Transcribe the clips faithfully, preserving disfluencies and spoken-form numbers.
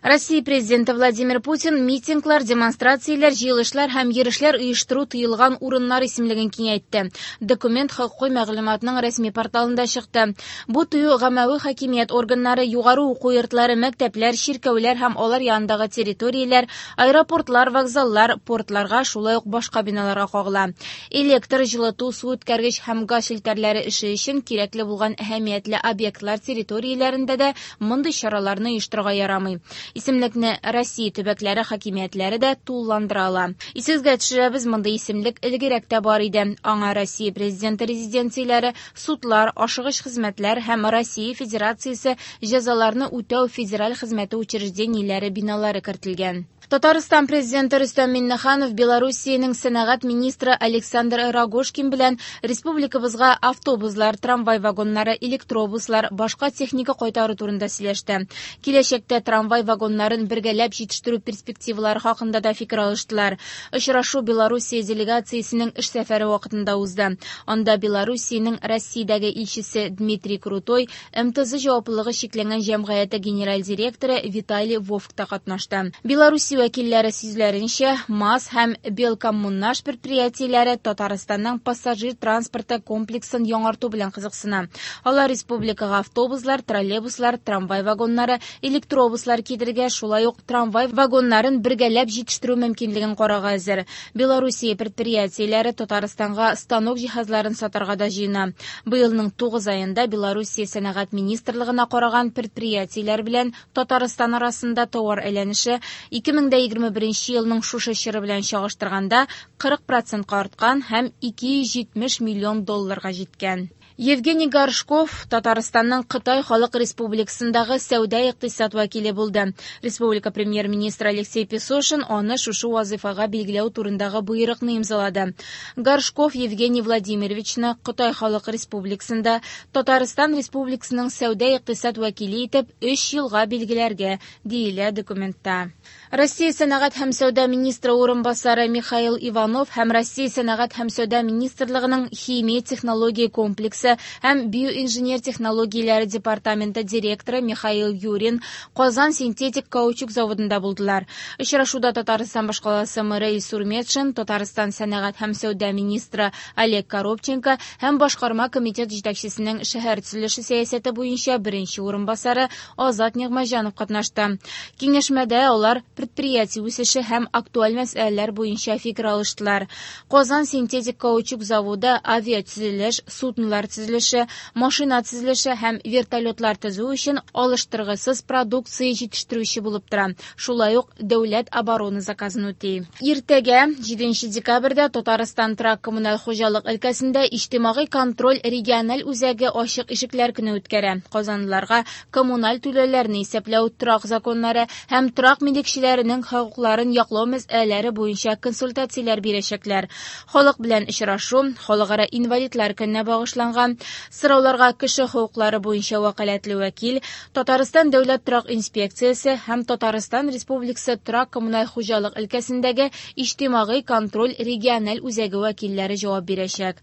Россия президенты Владимир Путин митинглар, демонстрацияләр, җыелышлар һәм йөрешләр оештыру тыелган урыннар исемлеген киңәйтте. Документ хокукый мәгълүматның рәсми порталында чыкты. Бу тыю гаммәви хакимият органнары, югары уку йортлары, мәктәпләр, чиркәүләр һәм алар янындагы территорияләр, аэропортлар, вокзаллар, портларга, шулай ук башка биналарга кагыла. Электр, җылыту, су үткәргеч һәм газ челтәрләре эше өчен кирәкле булган әһәмиятле объектлар территорияләрендә дә мондый чараларны оештырырга ярамый. Исемлекне Россия төбәкләре хакимиятләре дә тулыландыра ала. Исегезгә төшерәбез, мондый исемлек элгәрерәк тә бар иде. Аңа Россия президенты резиденцияләре, судлар, ашыгыч хезмәтләр һәм Россия Федерациясе җәзаларны үтәү федераль хезмәте учреждениеләре биналары кертелгән. Татарстан президенты Рөстәм Миңнеханов Белоруссиянең сәнәгать министры Александр Рогожкин белән республикабызга автобуслар, трамвай вагоннары, электробуслар, башка техника кайтару турында сөйләште. Киләчәктә трамвай вагоннарын бергәләп җитештерү перспективалары хакында да фикер алыштылар. Очрашу Белоруссия делегациясенең эш сәфәре вакытында узды. Анда Белоруссиянең Россиядәге илчесе Дмитрий Крутой, эм тэ зэ җаваплылыгы чикләнгән җәмгыяте генераль директоры Виталий Вовк та катнашты. Белоруссия вәкилләре сүзләренчә, МАЗ һәм Белкоммунмаш предприятиеләре Татарстанның пассажир транспорты комплексын яңарту белән кызыксына. Алар республикага автобуслар, троллейбуслар, трамвай вагоннары, электробуслар китерергә, шулай ук трамвай вагоннарын бергәләп җитештерү мөмкинлеген карарга әзер. Белоруссия предприятиеләре Татарстанга станок җиһазларын сатарга да җыена. Быелның тугыз аенда Белоруссия сәнәгать министрлыгына караган предприятиеләр белән Татарстан арасында товар әйләнеше ике мең дә егерме беренче елның шушы чоры белән чагыштырганда кырык процентка арткан һәм ике йөз җитмеш миллион долларга җиткән. Евгений Горшков Татарстанның Кытай Халык Республикасындагы сәүдә икътисад вәкиле булды. Республика премьер-министры Алексей Песошин аны шушы вазифага билгеләү турындагы боерыкны имзалады. Горшков Евгений Владимировичны Кытай Халык Республикасында Татарстан Республикасының сәүдә икътисад вәкиле итеп өч елга билгеләргә, диелә документта. Россия сәнәгать һәм сәүдә министры урынбасары Михаил Иванов һәм Россия сәнәгать һәм сәүдә министрлыгының химия технология комплексы һәм биоинженер технологияләре департаменты директоры Михаил Юрин Казан синтетик каучук заводында булдылар. Очрашуда Татарстан башкаласы мэры Илсур Метшин, Татарстан сәнәгать һәм сәүдә министры Олег Коробченко һәм башкарма комитет җитәкчесенең шәһәр төзелеше сәясәте буенча беренче урынбасары Азат Нигъмәтҗанов катнашты. Киңәшмәдә алар предприятие үсеше һәм актуаль мәсьәләләр буенча фикер алыштылар. Казан синтетик каучук заводы авиатөзелеш, суднолар төзелеше, машина төзелеше һәм вертолетлар төзү өчен алыштыргысыз продукция җитештерүче булып тора. Шулай ук дәүләт оборона заказын үти. Иртәгә, җиденче декабрьдә Татарстан торак коммуналь хуҗалык өлкәсендә иҗтимагый контроль региональ үзәге ачык ишекләр көне үткәрә. Казанлыларга коммуналь түләүләрне исәпләү, торак законнары һәм торак милекчеләренең хокукларын яклау мәсьәләләре буенча консультацияләр бирәчәкләр. Халык белән очрашу Халыкара инвалидлар көненә багышланган. Сорауларга кеше хокуклары буенча вәкаләтле вәкил, Татарстан дәүләт торак инспекциясе һәм Татарстан Республикасы торак коммуналь хуҗалык өлкәсендәге иҗтимагый контроль региональ үзәге вәкилләре җавап бирәчәк.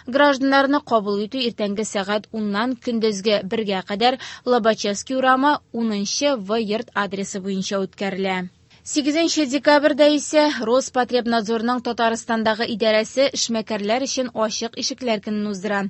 Гражданнарны кабул итү иртәнге сәгать уннан көндезге бергә кадәр Лобачевский урамы унынчы В йорт адресы буенча үткәрелә. Сигезенче декабрьдә исә Роспотребнадзорның Татарстандагы идарәсе эшмәкәрләр өчен ачык ишекләр көнен уздыра.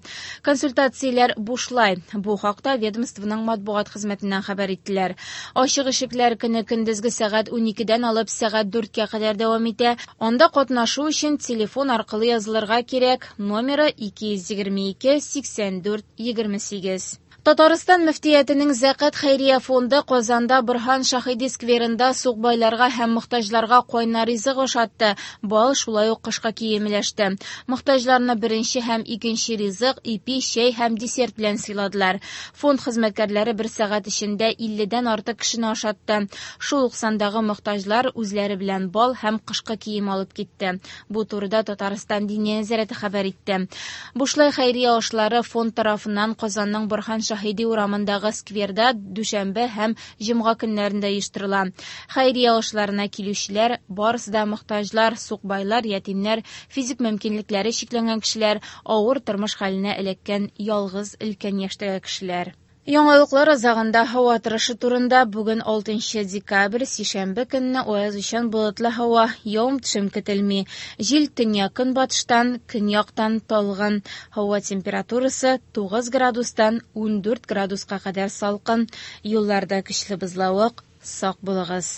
Консультацияләр бушлай. Бу хакта ведомствоның матбугат хезмәтеннән хәбәр иттеләр. Ачык ишекләр көне көндезге сәгать уникедән алып сәгать дүрткә кадәр дәвам итә. Анда катнашу өчен телефон аркылы язылырга кирәк. Номеры ике йөз егерме ике сиксән дүрт егерме сигез. Татарстан мөфтиятенең Зәкат хәйрия фонды Казанда Борһан Шаһиди скверында сукбайларга һәм мохтаҗларга кайнар ризык ашатты. Бал шулай ук кышка кием өләште. Мохтаҗларны беренче һәм икенче ризык, ипи, чәй һәм десерт белән сыйладылар. Фонд хезмәткәрләре бер сәгать эчендә илледән артык кешене ашатты. Шул ук сандагы мохтаҗлар үзләре белән бал һәм кышкы кием алып китте. Бу турыда Татарстан Диния нәзарәте хәбәр итте. Бушлай хәйрия ашлары фонд тарафыннан Казанның Борһан Шаһиди урамындагы скверда дүшәмбе һәм җомга көннәрендә оештырыла. Хәйрия ашларына килүчеләр барысы да мохтаҗлар, сукбайлар, ятимнәр, физик мөмкинлекләре чикләнгән кешеләр, авыр тормыш хәленә эләккән ялгыз өлкән яшьтәге кешеләр. Яңалыклар азагында һава торышы турында. Бүген алтынчы декабрь, сишәмбе көнне аязучан болытлы һава, явым-төшем көтелми. Җил төньяк-көнбатыштан, көньяктан талгын. Һава температурасы тугыз градустан ундүрт градуска кадәр салкын. Юлларда көчле бозлавык, сак булыгыз.